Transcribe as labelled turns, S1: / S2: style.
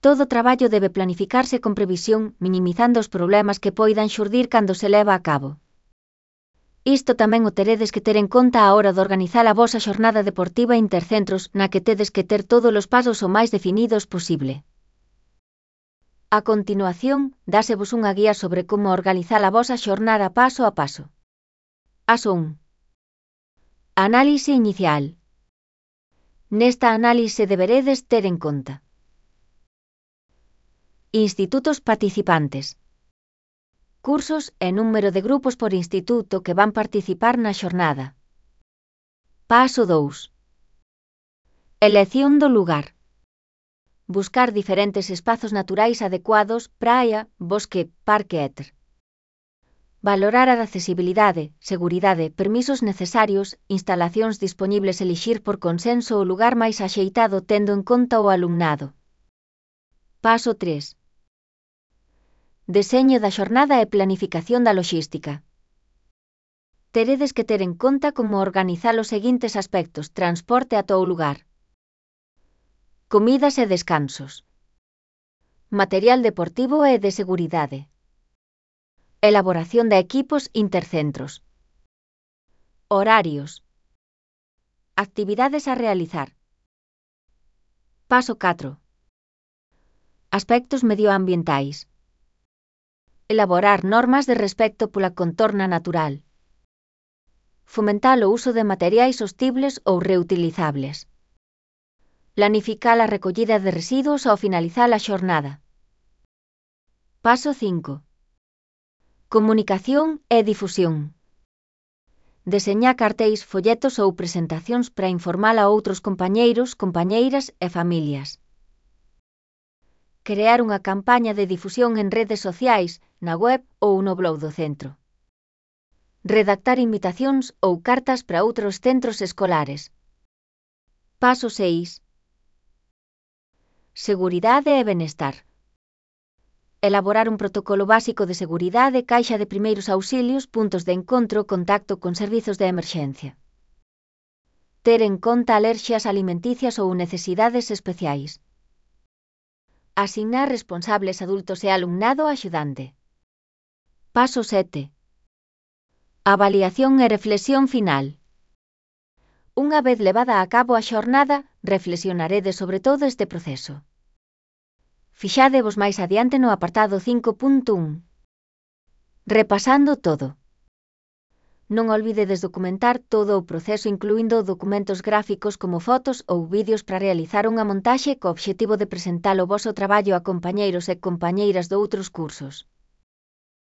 S1: Todo traballo debe planificarse con previsión, minimizando os problemas que poidan xurdir cando se leva a cabo. Isto tamén o teredes que ter en conta á hora de organizar a vosa xornada deportiva intercentros, na que tedes que ter todos os pasos o máis definidos posible. A continuación, dásevos unha guía sobre como organizar a vosa xornada paso a paso. Paso 1. Análise inicial. Nesta análise deberedes ter en conta institutos participantes, cursos e número de grupos por instituto que van participar na xornada. Paso 2. Elección do lugar. Buscar diferentes espazos naturais adecuados, praia, bosque, parque etc. Valorar a accesibilidade, seguridade, permisos necesarios, instalacións dispoñibles, elixir por consenso o lugar máis axeitado tendo en conta o alumnado. Paso 3. Deseño da xornada e planificación da loxística. Teredes que ter en conta como organizar os seguintes aspectos: transporte ata o lugar, comidas e descansos, material deportivo e de seguridade, elaboración de equipos intercentros, horarios, actividades a realizar. Paso 4. Aspectos medioambientais. Elaborar normas de respecto pola contorna natural. Fomentar o uso de materiais sostibles ou reutilizables. Planificar a recollida de residuos ao finalizar a xornada. Paso 5. Comunicación e difusión. Deseñar cartéis, folletos ou presentacións para informar a outros compañeiros, compañeiras e familias. Crear unha campaña de difusión en redes sociais, na web ou no blog do centro. Redactar invitacións ou cartas para outros centros escolares. Paso 6. Seguridade e benestar. Elaborar un protocolo básico de seguridade, caixa de primeiros auxilios, puntos de encontro, contacto con servizos de emerxencia. Ter en conta alerxias alimenticias ou necesidades especiais. Asignar responsables adultos e alumnado axudante. Paso 7. Avaliación e reflexión final. Unha vez levada a cabo a xornada, reflexionaredes sobre todo este proceso. Fixádevos máis adiante no apartado 5.1. Repasando todo. Non olvidedes documentar todo o proceso incluindo documentos gráficos como fotos ou vídeos para realizar unha montaxe co obxectivo de presentar o voso traballo a compañeiros e compañeiras doutros cursos.